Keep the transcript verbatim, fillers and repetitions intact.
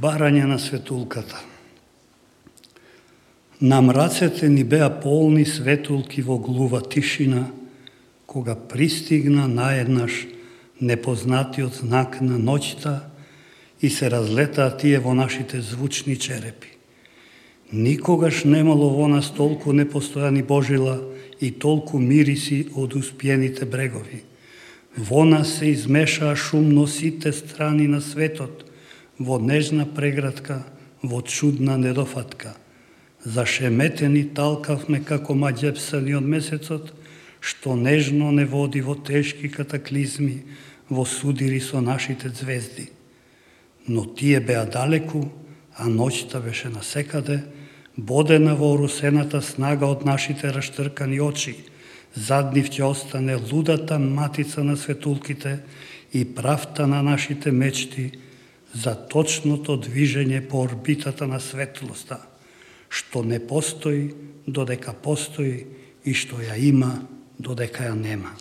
барање на светулката. На мрацете ни беа полни светулки во глува тишина, кога пристигна наеднаш непознатиот знак на ноќта и се разлетаа тие во нашите звучни черепи. Никогаш немало во нас толку непостојани божила и толку мириси од успиените брегови. Во нас се измешаа шумно сите страни на светот, во нежна преградка, во чудна недофатка. Зашеметени талкавме како маѓепсани од месецот, што нежно не води во тешки катаклизми, во судири со нашите звезди. Но тие беа далеку, а ноќта беше насекаде, бодена во орусената снага од нашите раштркани очи. Зад нив ќе остане лудата матица на светулките и правта на нашите мечти за точното движење по орбитата на светлоста, што не постои додека постои и што ја има додека ја нема.